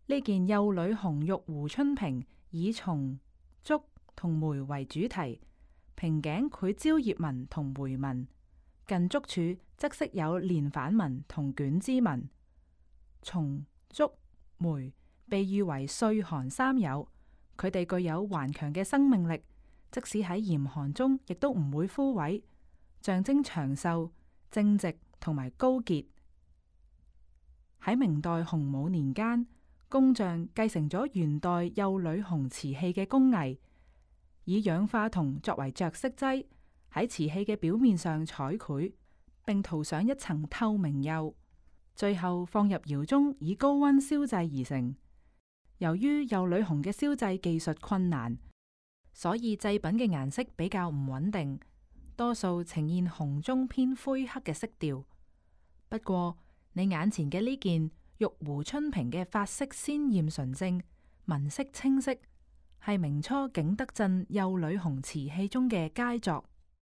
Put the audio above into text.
呢件幼女紅玉壺春瓶以松、竹同梅為主題，瓶頸繪蕉葉紋同梅紋，近竹處則飾有連反紋同卷枝紋。松、竹、梅被譽為歲寒三友，佢哋具有頑強嘅生命力，即使喺嚴寒中亦都唔會枯萎，象徵長壽、正直同埋高潔。喺明代洪武年間，工匠繼承咗元代幼女紅瓷器嘅工藝，以氧化銅作為着色劑，喺瓷器嘅表面上彩繪，並塗上一層透明釉，最後放入窯中以高溫燒製而成。由於幼女紅嘅燒製技術困難，所以製品嘅顏色比較唔穩定，多數呈現紅中偏灰黑嘅色調。不過，你眼前嘅呢件玉壺春瓶嘅髮色鮮艷純正，紋飾清晰，係明初景德鎮幼女紅瓷器中嘅佳作。